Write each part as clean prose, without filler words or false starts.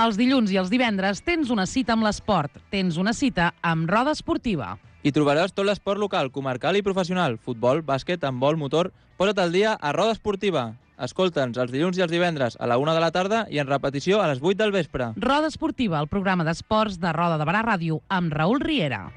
Els dilluns i els divendres tens una cita amb l'esport, tens una cita amb Roda Esportiva. Hi trobaràs tot l'esport local, comarcal i professional, futbol, bàsquet, handbol, motor. Posa't al dia a Roda Esportiva. Escolta'ns els dilluns i els divendres a la 1 de la tarda i en repetició a les 8 del vespre. Roda Esportiva, el programa d'esports de Roda de Barà Ràdio amb Raül Riera.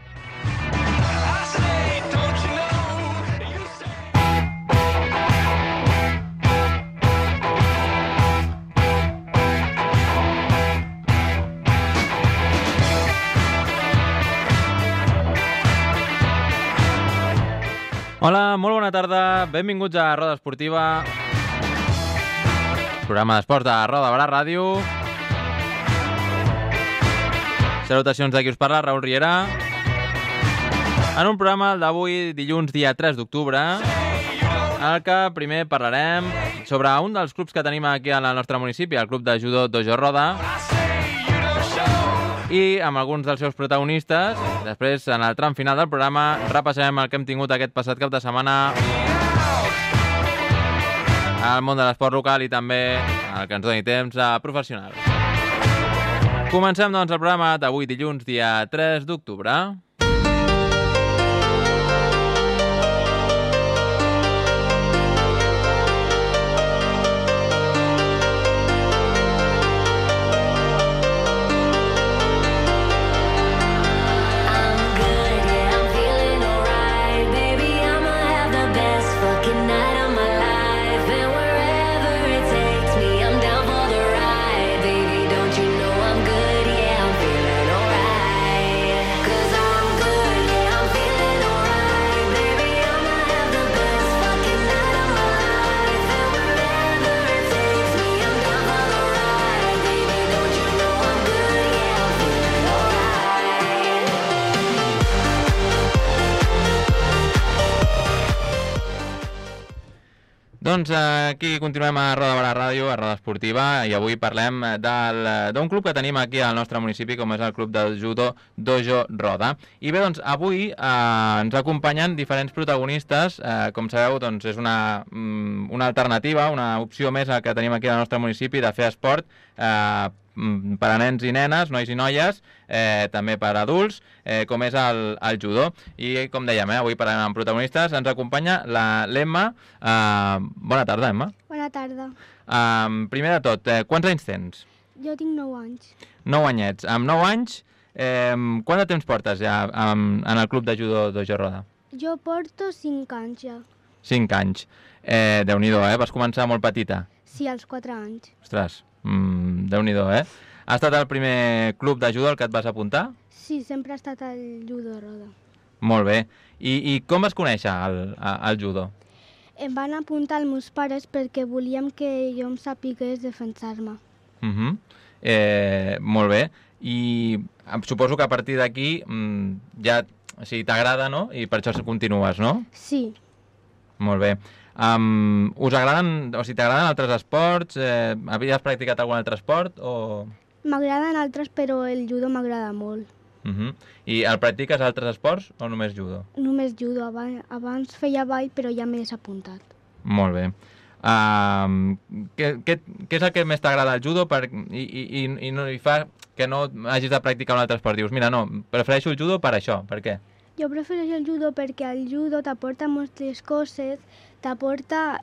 Hola, molt bona tarda, benvinguts a Roda Esportiva, programa d'esports de Roda de Barà Ràdio. Salutacions de qui us parla, Raül Riera. En un programa d'avui, dilluns, dia 3 d'octubre, en el que primer parlarem sobre un dels clubs que tenim aquí al nostre municipi, el Club de Judo Dojo Roda, i amb alguns dels seus protagonistes. Després, en el tram final del programa, repassarem el que hem tingut aquest passat cap de setmana al món de l'esport local i també el que ens doni temps a professional. Comencem, doncs, el programa d'avui dilluns, dia 3 d'octubre. Doncs aquí continuem a Roda de Barà Ràdio, a Roda Esportiva, i avui parlem d'un club que tenim aquí al nostre municipi, com és el Club de Judo Dojo Roda. I bé, doncs, avui ens acompanyen diferents protagonistes. Com sabeu, doncs, és una alternativa, una opció més que tenim aquí al nostre municipi de fer esport per a nens i nenes, nois i noies, també per a adults, com és el judo. I com dèiem, avui parlem amb protagonistes. Ens acompanya l'Emma. Bona tarda, Emma. Bona tarda. Primer de tot, quants anys tens? Jo tinc 9 anys. 9 anyets. Amb 9 anys, quant de temps portes ja en el Club de Judo Dojo Roda? Jo porto 5 anys ja. 5 anys. Déu-n'hi-do, vas començar molt petita? Sí, als 4 anys. Ostres, Déu-n'hi-do, Ha estat el primer club de judo al que et vas apuntar? Sí, sempre ha estat el judo roda. Molt bé. I com vas conèixer el judo? Em van apuntar els meus pares perquè volíem que jo em sapigués defensar-me. Molt bé. I suposo que a partir d'aquí ja t'agrada, no? I per això continues, no? Sí. Molt bé. Us agraden, o sigui, t'agraden altres esports? Havies practicat algun altre esport? M'agraden altres, però el judo m'agrada molt. I el practiques altres esports o només judo? Només judo. Abans feia ball, però ja m'he desapuntat. Molt bé. Què és el que més t'agrada al judo i fa que no hagis de practicar un altre esport? Dius, mira, no, prefereixo el judo per això. Per què? Jo prefereixo el judo perquè el judo t'aporta moltes coses, t'aporta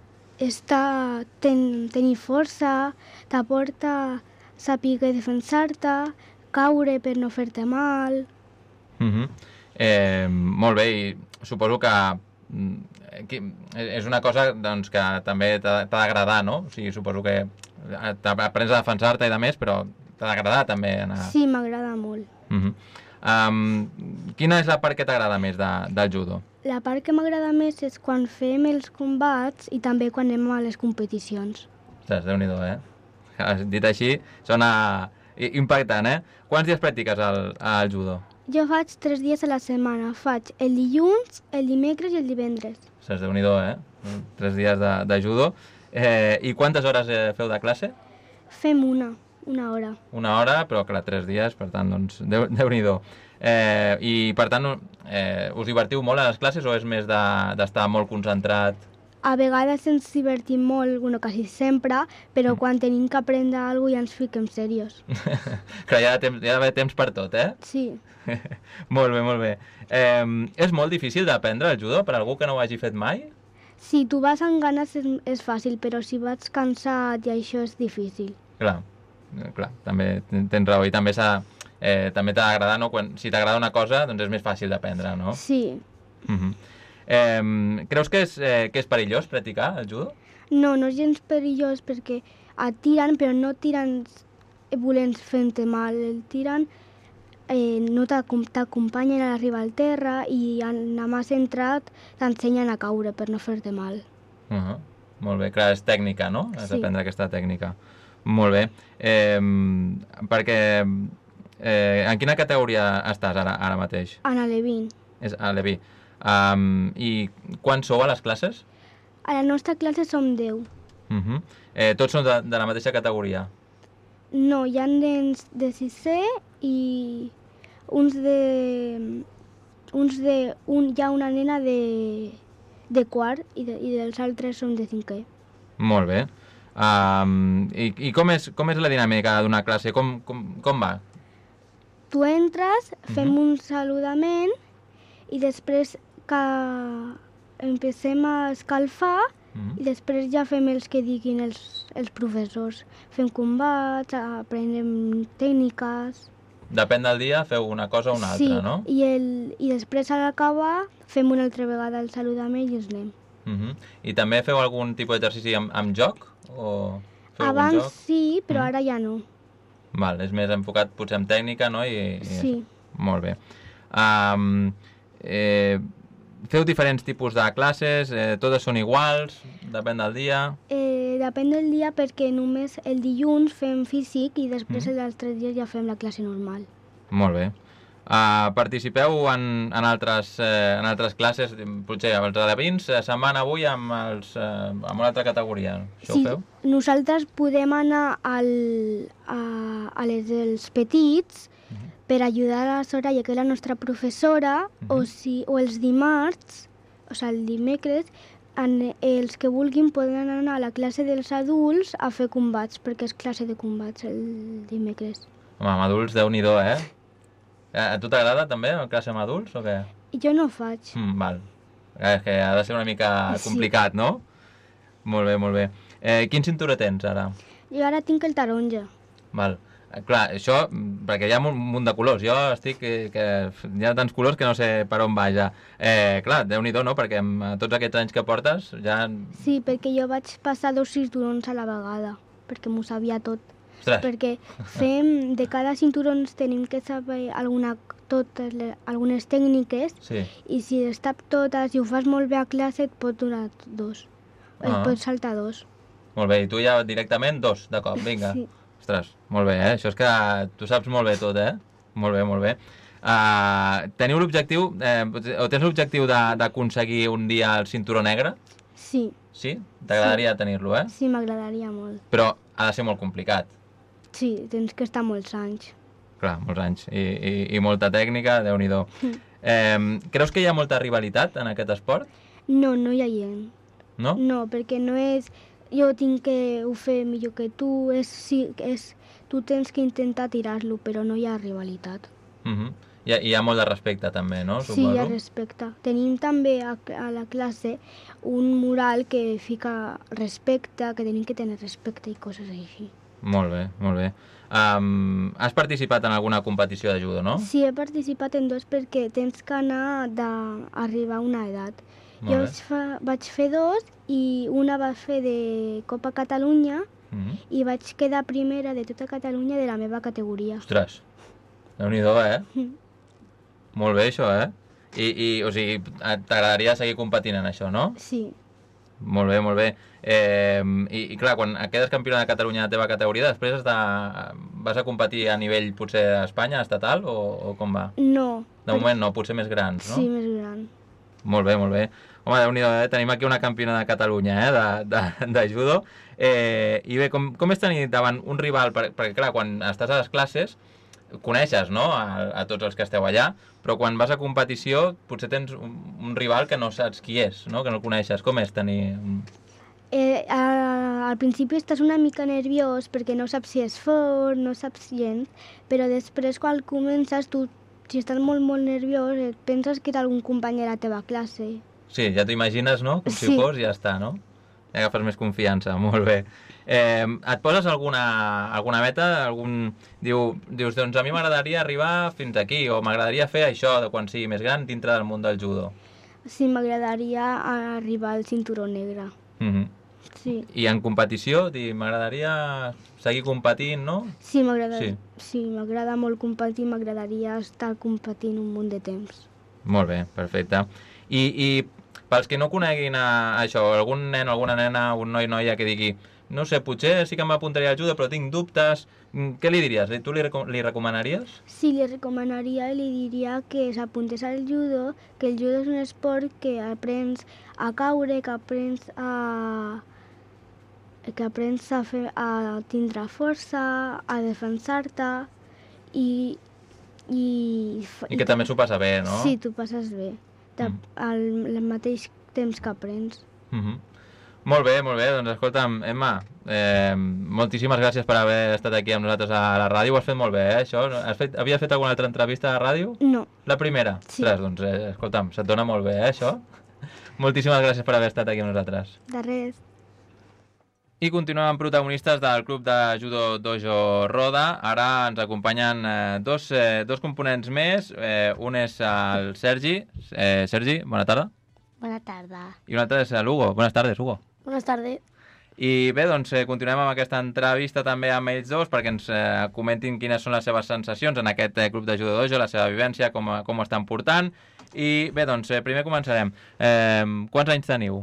tenir força, t'aporta saber defensar-te, caure per no fer-te mal. Molt bé, i suposo que és una cosa doncs, que també t'ha d'agradar, no? O sigui, suposo que aprens a defensar-te i de més, però t'ha d'agradar també anar... Sí, m'agrada molt. Quina és la part que t'agrada més del judo? La part que m'agrada més és quan fem els combats i també quan anem a les competicions. Ostres, Déu-n'hi-do, Dit així, sona impactant, Quants dies practiques el judo? Jo faig 3 dies a la setmana. Faig el dilluns, el dimecres i el divendres. Ostres, Déu-n'hi-do, 3 dies de judo. I quantes hores feu de classe? Fem una hora. Una hora, però clar, 3 dies, per tant, doncs, Déu-n'hi-do. I, per tant, us divertiu molt a les classes o és més d'estar molt concentrat? A vegades ens divertim molt, bueno, quasi sempre, però quan tenim que aprendre alguna cosa ja ens fiquem serios. Clar, hi ha d'haver temps per tot, eh? Sí. Molt bé, molt bé. És molt difícil d'aprendre el judo per algú que no ho hagi fet mai? Si tu vas amb ganes és fàcil, però si vas cansat i això és difícil. Clar, també tens raó. I també també t'ha d'agradar, no? Si t'agrada una cosa, doncs és més fàcil d'aprendre, no? Sí. Creus que és perillós practicar el judo? No, no és gens perillós perquè et tiren, però no tiren volent fer-te mal. El tiren, no t'acompanyen a l'arribar al terra i anar més entrat t'ensenyen a caure per no fer-te mal. Molt bé, clar, és tècnica, no? Has Sí. d'aprendre aquesta tècnica. Molt bé. Perquè en quina categoria estàs ara mateix? En Alevín. És a l'Evi. I quan sou a les classes? A la nostra classe som 10. Tots són de la mateixa categoria? No, hi ha nens de 6è i hi ha una nena de quart i dels altres són de 5è. Molt bé. I com és la dinàmica d'una classe? Com va? Tu entres, fem un saludament i després que empecem a escalfar i després ja fem els que diguin els professors. Fem combats, aprenem tècniques. Depèn del dia, feu una cosa o una altra, no? Sí, i després a l'acabar fem una altra vegada el saludament i ens anem. I també feu algun tipus d'exercici amb joc? O feu algun Abans joc? sí, però ara ja no. Val, és més enfocat potser en tècnica, no? Sí. Molt bé. Feu diferents tipus de classes? Totes són iguals? Depèn del dia? Depèn del dia perquè només el dilluns fem físic i després els altres dies ja fem la classe normal. Molt bé. Participeu en altres classes? Potser els alevins se'n van avui amb una altra categoria. Això ho feu? Nosaltres podem anar a les dels petits per ajudar a la Soraya, que és la nostra professora, o els dimarts, o sigui, el dimecres, els que vulguin poden anar a la classe dels adults a fer combats, perquè és classe de combats el dimecres. Home, amb adults, Déu-n'hi-do, eh? A tu t'agrada també la classe amb adults o què? Jo no ho faig. Val. És que ha de ser una mica complicat, no? Molt bé, molt bé. Quin cinturó tens ara? Jo ara tinc el taronja. Val. Clar, això, perquè hi ha un munt de colors. Jo estic que hi ha tants colors que no sé per on vaja. Clar, Déu-n'hi-do, no? Perquè amb tots aquests anys que portes ja... Sí, perquè jo vaig passar 2 cinturons a la vegada, perquè m'ho sabia tot. Ostres. Perquè de cada cinturons tenim que saber algunes tècniques i si les tap totes i ho fas molt bé a classe et pot donar 2. Et pot saltar 2. Molt bé, i tu ja directament 2 de cop, vinga. Sí. Ostres, molt bé, eh? Això és que tu saps molt bé tot, eh? Molt bé, molt bé. Teniu l'objectiu, o tens l'objectiu d'aconseguir un dia el cinturó negre? Sí. Sí? T'agradaria tenir-lo, eh? Sí, m'agradaria molt. Però ha de ser molt complicat. Sí, tens que estar molts anys. Clar, molts anys. I molta tècnica, Déu-n'hi-do. Creus que hi ha molta rivalitat en aquest esport? No, no hi ha gent. No? No, perquè no és... Jo tinc que ho fer millor que tu, tu tens que intentar tirar-lo, però no hi ha rivalitat. Hi ha molt de respecte també, no? Sí, hi ha respecte. Tenim també a la classe un mural que fica respecte, que tenim que tenir respecte i coses així. Molt bé, molt bé. Has participat en alguna competició de judo, no? Sí, he participat en 2 perquè tens que anar d'arribar a una edat. Jo vaig fer 2 i una va fer de Copa Catalunya i vaig quedar primera de tota Catalunya de la meva categoria. Ostres, Déu-n'hi-do, eh? Molt bé, això, eh? O sigui, t'agradaria seguir competint en això, no? Sí. Molt bé, molt bé. I clar, quan quedes campiona de Catalunya de la teva categoria, després vas a competir a nivell potser a Espanya, estatal, o com va? No. De moment no, potser més grans, no? Sí, més gran. Molt bé, molt bé. Home, Déu-n'hi-do, tenim aquí una campiona de Catalunya, de judo. I bé, com és tenir davant un rival? Perquè clar, quan estàs a les classes, coneixes, no?, a tots els que esteu allà, però quan vas a competició potser tens un rival que no saps qui és, no?, que no el coneixes. Com és tenir... Al principi estàs una mica nerviós perquè no saps si és fort, no saps gens, però després quan comences tu, si estàs molt, molt nerviós, et penses que és algun company de la teva classe. Sí, ja t'ho imagines, no?, com si fos i ja està, no? Ja agafes més confiança, molt bé. Et poses alguna meta? Dius, doncs a mi m'agradaria arribar fins aquí, o m'agradaria fer això de quan sigui més gran dintre del món del judo. Sí, m'agradaria arribar al cinturó negre. Sí. I en competició, m'agradaria seguir competint, no? Sí, m'agrada molt competir, m'agradaria estar competint un munt de temps. Molt bé, perfecte. I pels que no coneguin això, algun nen o alguna nena, un noi o noia que digui no sé, potser sí que m'apuntaria al judo, però tinc dubtes, què li diries? Tu li recomanaries? Sí, li recomanaria i li diria que s'apuntés al judo, que el judo és un esport que aprens a caure, que aprens a tindre força, a defensar-te i que també s'ho passa bé, no? Sí, t'ho passes bé, al mateix temps que aprens. Molt bé, doncs escolta'm, Emma, moltíssimes gràcies per haver estat aquí amb nosaltres a la ràdio, ho has fet molt bé, això? Havies fet alguna altra entrevista a la ràdio? No. La primera? Sí. Doncs, escolta'm, se't dona molt bé, això? Moltíssimes gràcies per haver estat aquí amb nosaltres. De res. I continuem amb protagonistes del Club de Judo Dojo Roda. Ara ens acompanyen dos components més. Un és el Sergi. Sergi, bona tarda. Bona tarda. I un altre és l'Hugo. Buenas tardes, Hugo. Buenas tardes. I bé, doncs continuem amb aquesta entrevista també amb ells dos perquè ens comentin quines són les seves sensacions en aquest Club de Judo Dojo, la seva vivència, com ho estan portant. I bé, doncs primer començarem. Quants anys teniu?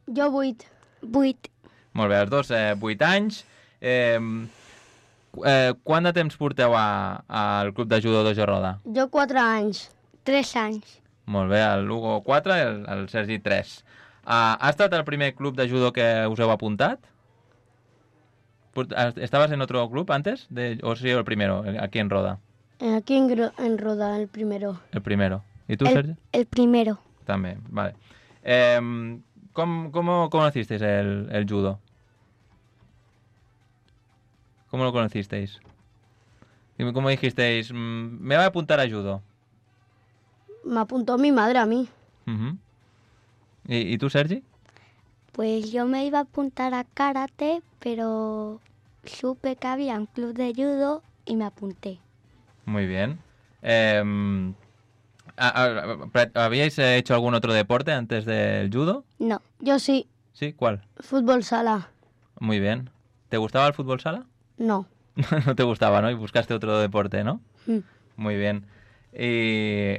Jo 8. 8. Molt bé, els dos 8 anys. Quant de temps porteu al Club de Judo Dojo Roda? Jo 4 anys. 3 anys. Molt bé, l'Hugo 4 i el Sergi 3. ¿Ha estat el primer club de judo que us heu apuntat? ¿Estabas en otro club antes? ¿O sí el primero, aquí en Roda? Aquí en Roda, el primero. El primero. ¿Y tú, Sergio? El primero. También, vale. ¿Cómo conocisteis el judo? ¿Cómo lo conocisteis? ¿Cómo dijisteis, me voy a apuntar a judo? Me apuntó mi madre a mí. Uh-huh. ¿Y tú, Sergi? Pues yo me iba a apuntar a karate, pero supe que había un club de judo y me apunté. Muy bien. ¿Habíais hecho algún otro deporte antes del judo? No. Yo sí. ¿Sí? ¿Cuál? Fútbol sala. Muy bien. ¿Te gustaba el fútbol sala? No. No te gustaba, ¿no? Y buscaste otro deporte, ¿no? Mm. Muy bien. ¿Y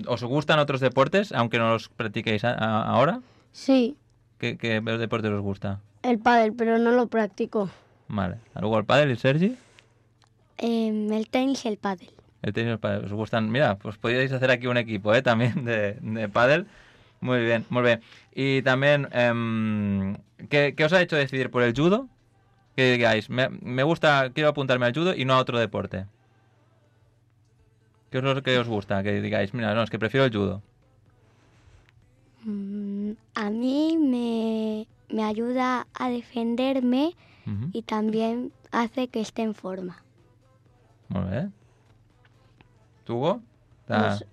os gustan otros deportes, aunque no los practiquéis ahora? Sí. ¿Qué deporte os gusta? El pádel, pero no lo practico. Vale. ¿Luego el pádel y Sergi? El tenis y el pádel. El tenis y el pádel. ¿Os gustan? Mira, pues podríais hacer aquí un equipo, también de pádel. Muy bien, muy bien. Y también, ¿qué os ha hecho decidir por el judo? Que digáis, me gusta, quiero apuntarme al judo y no a otro deporte. ¿Qué es lo que os gusta? Que digáis, mira, no, es que prefiero el judo. A mí me ayuda a defenderme y también hace que esté en forma. Muy bien. ¿Tú, Hugo? Pues...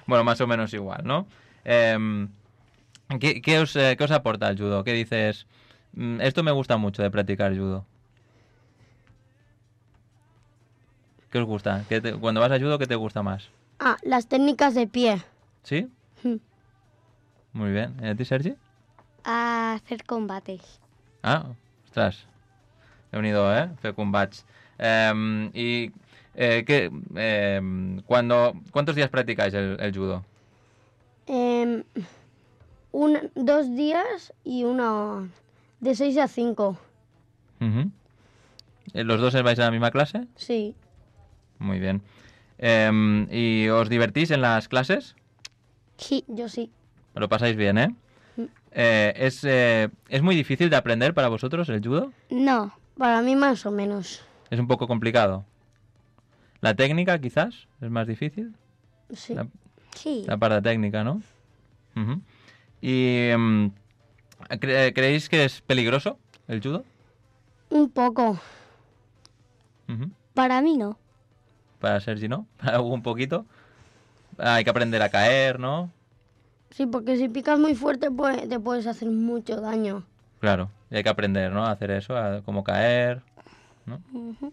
Bueno, más o menos igual, ¿no? ¿Qué os aporta el judo? ¿Qué dices? Esto me gusta mucho de practicar judo. ¿Qué os gusta? Cuando vas a judo, ¿qué te gusta más? Las técnicas de pie. ¿Sí? Muy bien. ¿Y a ti, Sergi? A hacer combates. Ostras. He unido, fer combats. ¿Cuántos días practicáis el judo? 2 días y uno de 6 a 5. Uh-huh. ¿Los dos vais a la misma clase? Sí. Muy bien. ¿Y os divertís en las clases? Sí, yo sí. Lo pasáis bien, ¿eh? ¿Es muy difícil de aprender para vosotros el judo? No. Para mí más o menos. ¿Es un poco complicado? ¿La técnica quizás es más difícil? Sí. Sí. La parte técnica, ¿no? Ujú. ¿Y creéis que es peligroso el judo? Un poco. Ujú. Para mí no. Para Sergi, ¿no? Para Hugo un poquito. Hay que aprender a caer, ¿no? Sí, porque si picas muy fuerte pues, te puedes hacer mucho daño. Claro, y hay que aprender, ¿no? A hacer eso, a cómo caer, ¿no? Ujú.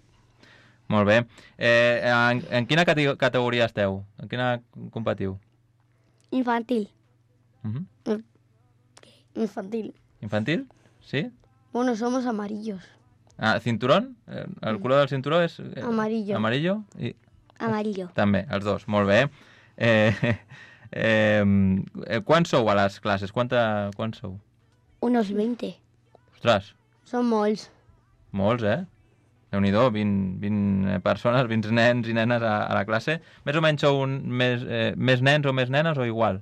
Molt bé. En quina categoria esteu? En quina competiu? Infantil. Uh Infantil. ¿Infantil? Sí? Bueno, somos amarillos. Ah, cinturón? El color del cinturó és... Amarillo. Amarillo? I Amarillo. també, els dos. Molt bé. Quants sou a les classes? Quants sou? Unos 20. Ostres, Som molts. molts, Déu-n'hi-do, 20 persones, 20 nens i nenes a la classe. Més o menys sou més nens o més nenes o igual?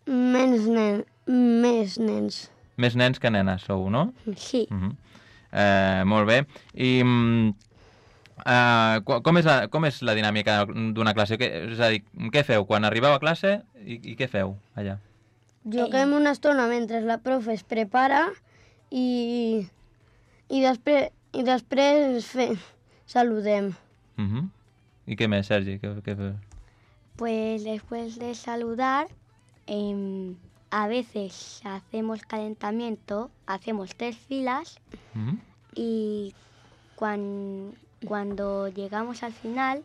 Més nens. Més nens que nenes sou, no? Sí. Molt bé. I com és la dinàmica d'una classe? És a dir, què feu quan arribeu a classe i què feu allà? Juguem una estona mentre la profe es prepara i després saludem. I què més, Sergi? Què feu? Pues después de saludar, a veces hacemos calentamiento, hacemos 3 filas y cuando llegamos al final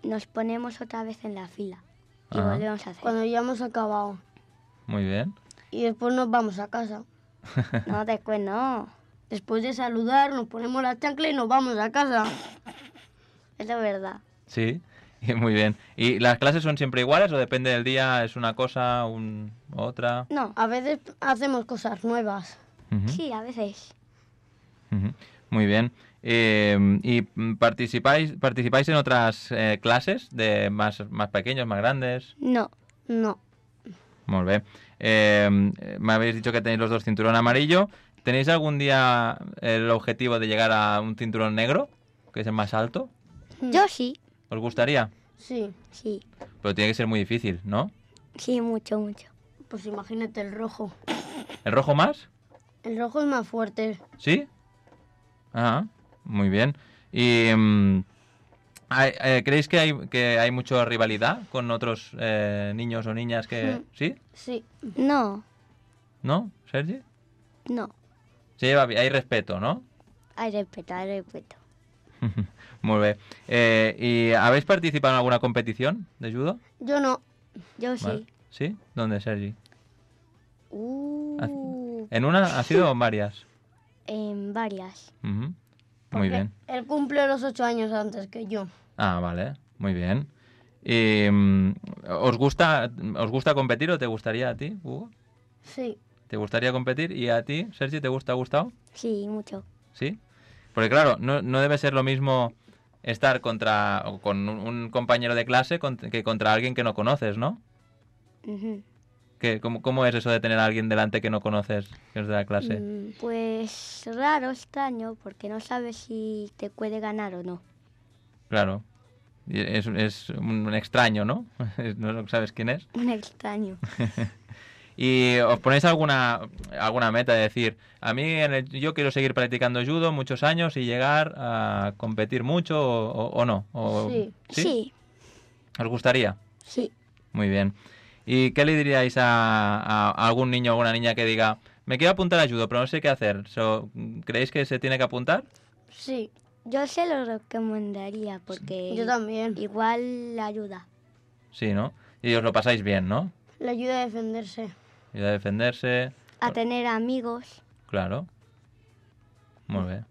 nos ponemos otra vez en la fila y Ajá. volvemos a hacer. Cuando ya hemos acabado. Muy bien. Y después nos vamos a casa. No, después no. Después de saludar nos ponemos la chancla y nos vamos a casa. Eso es verdad. Sí, muy bien. ¿Y las clases son siempre iguales o depende del día? ¿Es una cosa, otra? No. A veces hacemos cosas nuevas. Ujú. Sí, a veces. Ujú. Muy bien. ¿Y participáis en otras clases de más pequeños, más grandes? No. No. Muy bien. Me habéis dicho que tenéis los dos cinturón amarillo. ¿Tenéis algún día el objetivo de llegar a un cinturón negro, que es el más alto? Yo sí. ¿Os gustaría? Sí. Sí. Pero tiene que ser muy difícil, ¿no? Sí, mucho, mucho. Pues imagínate el rojo. ¿El rojo más? El rojo es más fuerte. ¿Sí? Ah, muy bien. ¿Y creéis que hay mucha rivalidad con otros niños o niñas que... ¿Sí? Sí. No. ¿No, Sergi? No. Se lleva bien, hay respeto, ¿no? Hay respeto, hay respeto. Muy bien. ¿Y habéis participado en alguna competición de judo? Yo no. Yo sí. Vale. ¿Sí? ¿Dónde, Sergi? Uh, ¿En una ha sido o en varias? En varias. Ujú. Muy Porque bien. Él cumple los 8 años antes que yo. Ah, vale. Muy bien. ¿Y os gusta competir o te gustaría a ti, Hugo? Sí. ¿Te gustaría competir? ¿Y a ti, Sergi, te ha gustado? Sí, mucho. ¿Sí? Porque claro, no debe ser lo mismo estar con un compañero de clase que contra alguien que no conoces, ¿no? Ujú. ¿Cómo es eso de tener a alguien delante que no conoces, que es de la clase? Pues raro, extraño, porque no sabes si te puede ganar o no. Claro. Y es un extraño, ¿no? No sabes quién es. Un extraño. ¿Y os ponéis alguna meta de decir, a mí yo quiero seguir practicando judo muchos años y llegar a competir mucho o no? Sí. Sí. ¿Os gustaría? Sí. Muy bien. ¿Y qué le diríais a algún niño o alguna niña que diga, me quiero apuntar a judo, pero no sé qué hacer? ¿Creéis que se tiene que apuntar? Sí. Yo se lo recomendaría porque Yo también. igual le ayuda. Sí, ¿no? Y os lo pasáis bien, ¿no? Le ayuda a defenderse. Ayuda a defenderse. A tener amigos. Claro. Muy bien.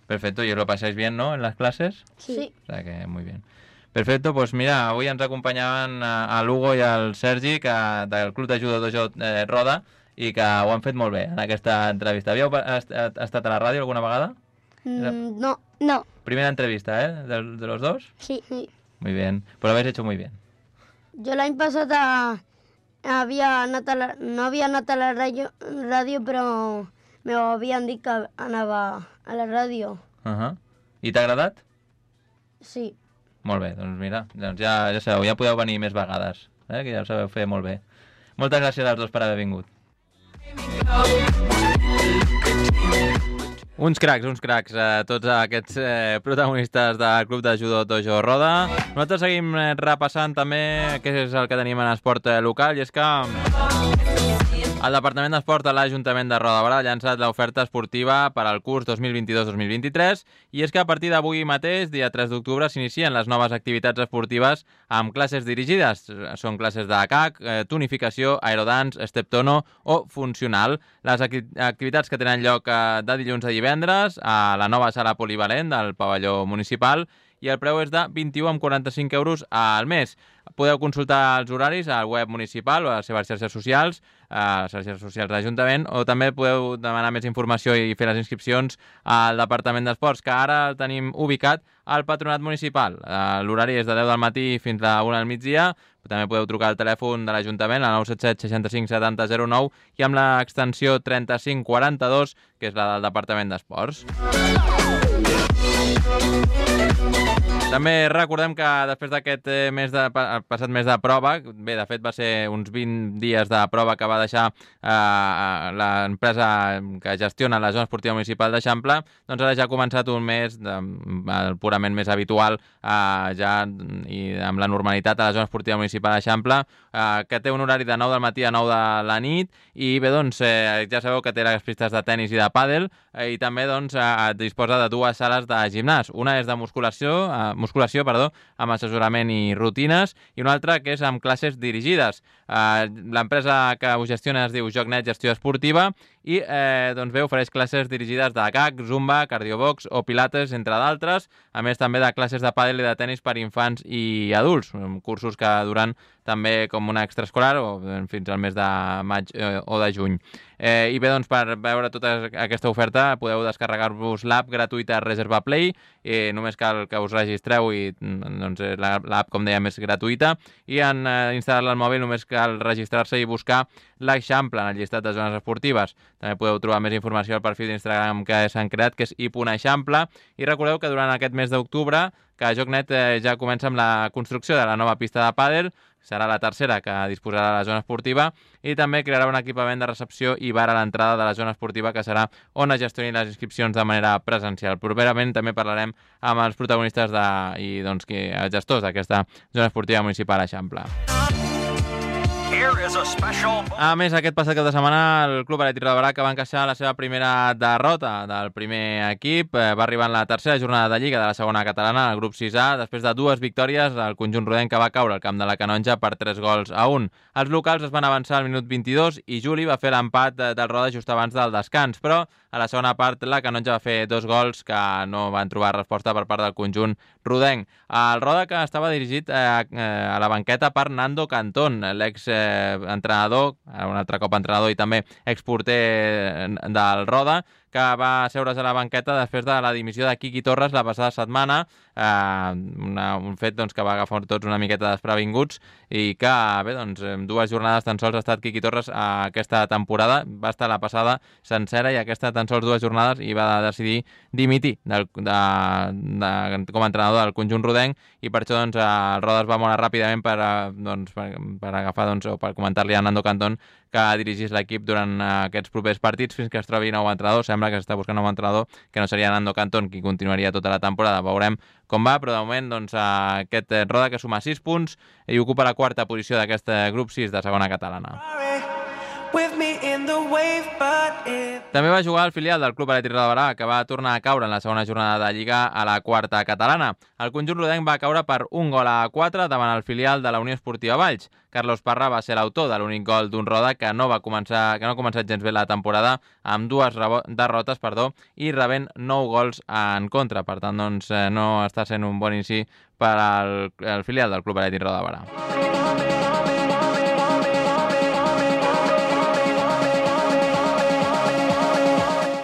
Perfecto, y os lo pasáis bien, ¿no? En las clases. Sí. O sea que muy bien. Perfecte, doncs mira, avui ens acompanyaven a l'Hugo i al Sergi del Club de Judo Dojo Roda i que ho han fet molt bé en aquesta entrevista. Havíeu estat a la ràdio alguna vegada? No. No. Primera entrevista, ¿eh? ¿De los dos? Sí. Sí. Muy bien, pues lo habéis hecho muy bien. Jo l'any passat no havia anat a la ràdio, però m'ho havien dit que anava a la ràdio. I t'ha agradat? Sí. Molt bé, doncs mira, ja sabeu, ja podeu venir més vegades, que ja ho sabeu fer molt bé. Moltes gràcies als dos per haver vingut. Uns cracs, tots aquests protagonistes del Club de Judo Dojo Roda. Nosaltres seguim repassant també què és el que tenim en esport local, i és que el Departament d'Esport de l'Ajuntament de Roda de Barà ha llançat l'oferta esportiva per al curs 2022-2023, i és que a partir d'avui mateix, dia 3 d'octubre, s'inicien les noves activitats esportives amb classes dirigides. Són classes de CAC, tonificació, aerodance, step tono o funcional. Les activitats que tenen lloc de dilluns a divendres a la nova sala polivalent del pavelló municipal, i el preu és de 21,45 euros al mes. Podeu consultar els horaris al web municipal o a les seves xarxes socials, a les xarxes socials de l'Ajuntament, o també podeu demanar més informació i fer les inscripcions al Departament d'Esports, que ara tenim ubicat al Patronat Municipal. L'horari és de 10 del matí fins a 1 del migdia. També podeu trucar al telèfon de l'Ajuntament, al 977 65 70 09, i amb l'extensió 3542, que és la del Departament d'Esports. També recordem que després d'aquest passat mes de prova, bé, de fet va ser uns 20 dies de prova que va deixar l'empresa que gestiona la zona esportiva municipal d'Eixample, doncs ara ja ha començat un mes purament més habitual, ja i amb la normalitat a la zona esportiva municipal d'Eixample, que té un horari de 9 del matí a 9 de la nit, i bé, doncs ja sabeu que té les pistes de tennis i de pàdel, i també doncs disposa de dues sales de gimnàs. Una és de musculació, amb assessorament i rutines, i una altra que és amb classes dirigides. L'empresa que ho gestiona es diu JocNet Gestió Esportiva, i doncs bé, ofereix classes dirigides de CAC, Zumba, Cardiobox o Pilates, entre d'altres, a més també de classes de pàdel i de tenis per infants i adults, cursos que duran també com una extraescolar o fins al mes de maig o de juny. I bé, doncs per veure tota aquesta oferta podeu descarregar-vos l'app gratuïta Reserva Play, només cal que us registreu, i doncs l'app, com dèiem, és gratuïta, i en instal·lar-la al mòbil només cal registrar-se i buscar l'Eixample en el llistat de zones esportives. També podeu trobar més informació al perfil d'Instagram que s'han creat, que és i.eixample, i recordeu que durant aquest mes d'octubre que JocNet ja comença amb la construcció de la nova pista de pàdel, serà la tercera que disposarà la zona esportiva, i també crearà un equipament de recepció i bar a l'entrada de la zona esportiva, que serà on es gestionin les inscripcions de manera presencial. Properament també parlarem amb els protagonistes i els gestors d'aquesta zona esportiva municipal Eixample. A més, aquest passat cap de setmana el Club Atlètic Roda de Barà, que va encaixar la seva primera derrota del primer equip, va arribar en la tercera jornada de Lliga de la segona catalana, al grup 6A, després de dues victòries. El conjunt rodenc que va caure al camp de la Canonja per 3-1. Els locals es van avançar al minut 22 i Juli va fer l'empat del Roda just abans del descans, però a la segona part la Canonja va fer 2 gols que no van trobar resposta per part del conjunt rodenc. El Roda, que estava dirigit a la banqueta per Nando Cantón, l'ex-entrenador, un altre cop entrenador i també exporter del Roda, que va asseure's a la banqueta després de la dimissió de Quiqui Torres la passada setmana, un fet doncs, que va agafar tots una miqueta desprevinguts, i que, bé, doncs, en 2 jornades tan sols ha estat Quiqui Torres aquesta temporada. Va estar la passada sencera i aquesta tan sols 2 jornades, i va decidir dimitir com a entrenador del conjunt rodenc, i per això doncs, el Roda es va moure ràpidament per agafar, doncs, o per comentar-li a Nando Cantón que dirigís l'equip durant aquests propers partits fins que es trobi nou entrenador. Sembla que s'està buscant nou entrenador, que no seria Nando Cantón qui continuaria tota la temporada. Veurem com va, però de moment doncs, aquest Roda, que suma 6 punts i ocupa la 4a posició d'aquest grup 6 de segona catalana. També va jugar el filial del Club Atlètic Roda de Barà, que va tornar a caure en la segona jornada de Lliga a la 4a catalana. El conjunt rodenc va caure per 1-4 davant el filial de la Unió Esportiva Valls. Carlos Parra va ser l'autor de l'únic gol d'un Roda que no ha començat gens bé la temporada, amb 2 derrotes i rebent 9 gols en contra. Per tant, doncs, no està sent un bon inici per al filial del Club Atlètic Roda de Barà.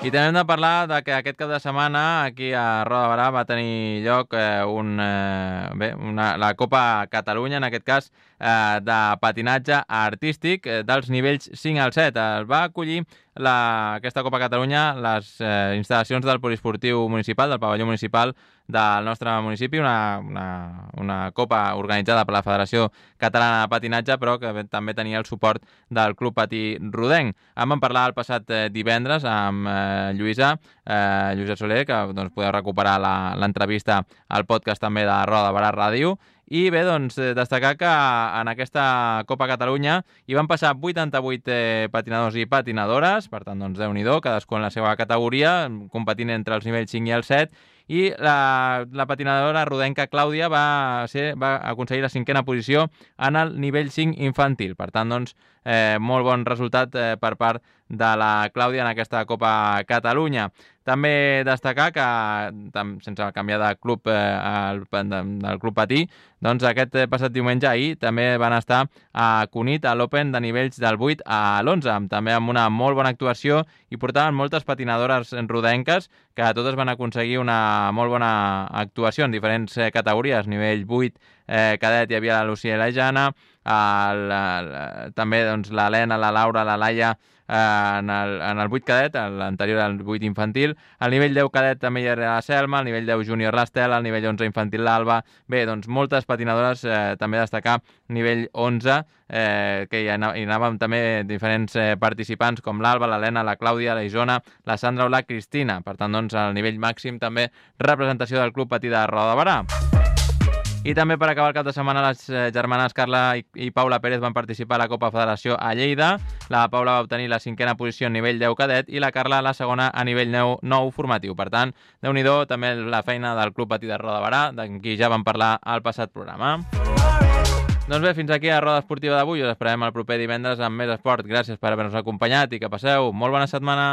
I també hem de parlar de que aquest cap de setmana aquí a Roda de Barà va tenir lloc la Copa Catalunya, en aquest cas de patinatge artístic dels nivells 5 al 7. El va acollir aquesta Copa Catalunya les instal·lacions del poliesportiu municipal, del pavelló municipal del nostre municipi, una copa organitzada per la Federació Catalana de Patinatge, però que també tenia el suport del Club Patí Rodenc. En vam parlar el passat divendres amb Lluïsa Soler, que doncs, podeu recuperar l'entrevista al podcast també de Roda de Barà Ràdio. I bé, doncs, destacar que en aquesta Copa Catalunya hi van passar 88 patinadors i patinadores, per tant, doncs, Déu-n'hi-do, cadascú en la seva categoria, competint entre els nivells 5 i el 7, i la patinadora rodenca Clàudia va aconseguir la 5a posició en el nivell 5 infantil. Per tant, doncs, molt bon resultat per part de la Clàudia en aquesta Copa Catalunya. També destacar que, sense canviar de club, del Club Patí, doncs aquest passat diumenge ahir també van estar a Cunit a l'Open de nivells del 8 a l'11, també amb una molt bona actuació i portaven moltes patinadores rodenques que totes van aconseguir una molt bona actuació en diferents categories. Nivell 8 cadet hi havia la Lucía i la Jana, també doncs, l'Helena, la Laura, la Laia en el 8 cadet, l'anterior al 8 infantil. Al nivell 10 cadet també hi era la Selma, al nivell 10 júnior l'Estela, al nivell 11 infantil l'Alba. Bé, doncs moltes patinadores, també destacar nivell 11, que hi anàvem també diferents participants com l'Alba, l'Helena, la Clàudia, la Isona, la Sandra o la Cristina. Per tant, doncs, al nivell màxim també representació del Club Patí de Roda de Barà. I també per acabar el cap de setmana les germanes Carla i Paula Pérez van participar a la Copa Federació a Lleida. La Paula va obtenir la 5a posició a nivell 10 cadet i la Carla la segona a nivell 9 formatiu. Per tant, Déu-n'hi-do també la feina del Club Patí de Roda de Barà, d'en qui ja vam parlar al passat programa. Doncs bé, fins aquí a Roda Esportiva d'avui. Us esperem el proper divendres amb més esport. Gràcies per haver-nos acompanyat i que passeu molt bona setmana.